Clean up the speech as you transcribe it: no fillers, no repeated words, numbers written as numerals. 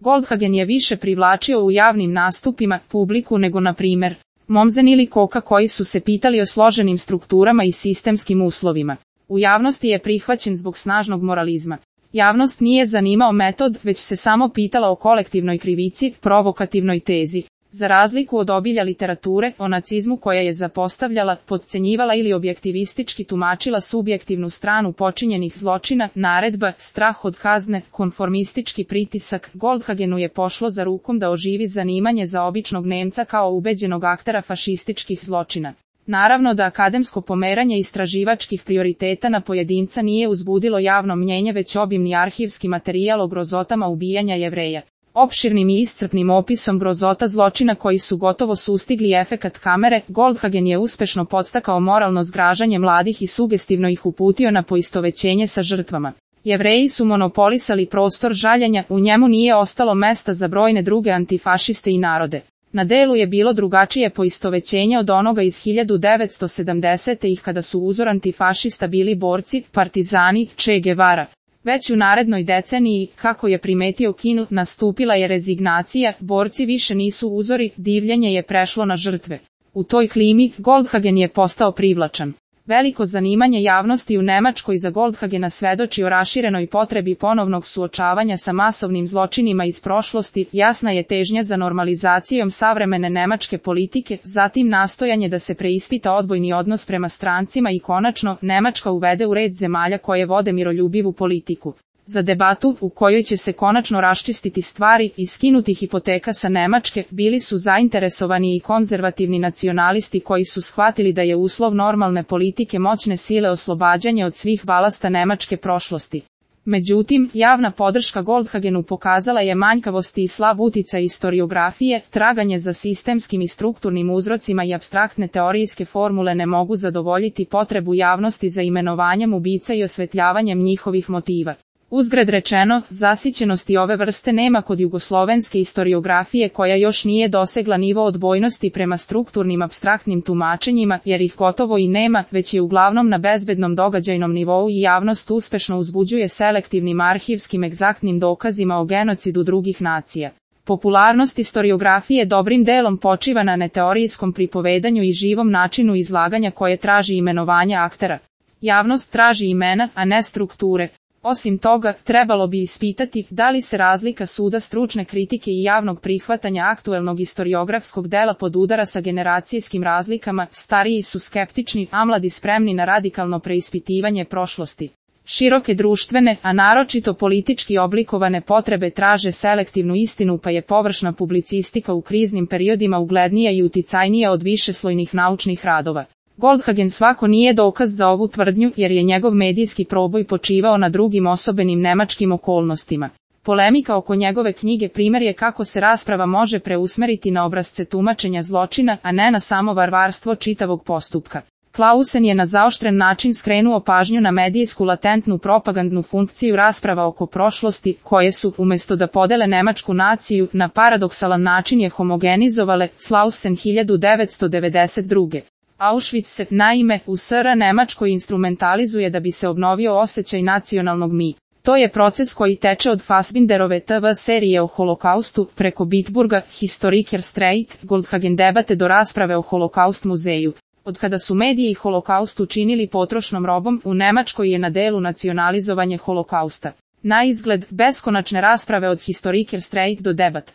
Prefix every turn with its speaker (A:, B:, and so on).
A: Goldhagen je više privlačio u javnim nastupima publiku nego na primer Mommsen ili Koka koji su se pitali o složenim strukturama i sistemskim uslovima. U javnosti je prihvaćen zbog snažnog moralizma. Javnost nije zanimao metod, već se samo pitala o kolektivnoj krivici, provokativnoj tezi. Za razliku od obilja literature o nacizmu koja je zapostavljala, potcenjivala ili objektivistički tumačila subjektivnu stranu počinjenih zločina, naredba, strah od kazne, konformistički pritisak, Goldhagenu je pošlo za rukom da oživi zanimanje za običnog Nemca kao ubeđenog aktera fašističkih zločina. Naravno da akademsko pomeranje istraživačkih prioriteta na pojedinca nije uzbudilo javno mnjenje već obimni arhivski materijal o grozotama ubijanja Jevreja. Opširnim i iscrpnim opisom grozota zločina koji su gotovo sustigli efekat kamere, Goldhagen je uspešno podstakao moralno zgražanje mladih i sugestivno ih uputio na poistovećenje sa žrtvama. Jevreji su monopolisali prostor žaljenja, u njemu nije ostalo mesta za brojne druge antifašiste i narode. Na delu je bilo drugačije poistovećenje od onoga iz 1970-ih kada su uzor antifašista bili borci, partizani, Che Guevara. Već u narednoj deceniji, kako je primetio King, nastupila je rezignacija, borci više nisu uzori, divljenje je prešlo na žrtve. U toj klimi, Goldhagen je postao privlačan. Veliko zanimanje javnosti u Nemačkoj za Goldhagena svedoči o raširenoj potrebi ponovnog suočavanja sa masovnim zločinima iz prošlosti, jasna je težnja za normalizacijom savremene nemačke politike, zatim nastojanje da se preispita odbojni odnos prema strancima i konačno, Nemačka uvede u red zemalja koje vode miroljubivu politiku. Za debatu, u kojoj će se konačno raščistiti stvari i skinuti hipoteka sa Nemačke, bili su zainteresovani i konzervativni nacionalisti koji su shvatili da je uslov normalne politike moćne sile oslobađanje od svih balasta nemačke prošlosti. Međutim, javna podrška Goldhagenu pokazala je manjkavosti i slab uticaj istoriografije, traganje za sistemskim i strukturnim uzrocima i apstraktne teorijske formule ne mogu zadovoljiti potrebu javnosti za imenovanjem ubica i osvetljavanjem njihovih motiva. Uzgred rečeno, zasićenosti ove vrste nema kod jugoslovenske istoriografije koja još nije dosegla nivo odbojnosti prema strukturnim apstraktnim tumačenjima, jer ih gotovo i nema, već je uglavnom na bezbednom događajnom nivou i javnost uspešno uzbuđuje selektivnim arhivskim egzaktnim dokazima o genocidu drugih nacija. Popularnost istoriografije dobrim delom počiva na neteorijskom pripovedanju i živom načinu izlaganja koje traži imenovanja aktera. Javnost traži imena, a ne strukture. Osim toga, trebalo bi ispitati da li se razlika suda stručne kritike i javnog prihvatanja aktuelnog istoriografskog dela podudara sa generacijskim razlikama, stariji su skeptični, a mladi spremni na radikalno preispitivanje prošlosti. Široke društvene, a naročito politički oblikovane potrebe traže selektivnu istinu pa je površna publicistika u kriznim periodima uglednija i uticajnija od višeslojnih naučnih radova. Goldhagen svako nije dokaz za ovu tvrdnju jer je njegov medijski proboj počivao na drugim osobenim nemačkim okolnostima. Polemika oko njegove knjige primjer je kako se rasprava može preusmeriti na obrasce tumačenja zločina, a ne na samo varvarstvo čitavog postupka. Clausen je na zaoštren način skrenuo pažnju na medijsku latentnu propagandnu funkciju rasprava oko prošlosti, koje su, umjesto da podele nemačku naciju, na paradoksalan način je homogenizovale. Clausen 1992. Auschwitz se, naime, u SR Nemačkoj instrumentalizuje da bi se obnovio osjećaj nacionalnog mi. To je proces koji teče od Fassbinderove TV serije o holokaustu, preko Bitburga, Historiker Streit, Goldhagen debate do rasprave o holokaust muzeju. Od kada su mediji holokaust učinili potrošnom robom, u Nemačkoj je na delu nacionalizovanje holokausta. Na izgled, beskonačne rasprave od Historiker Streit do debat.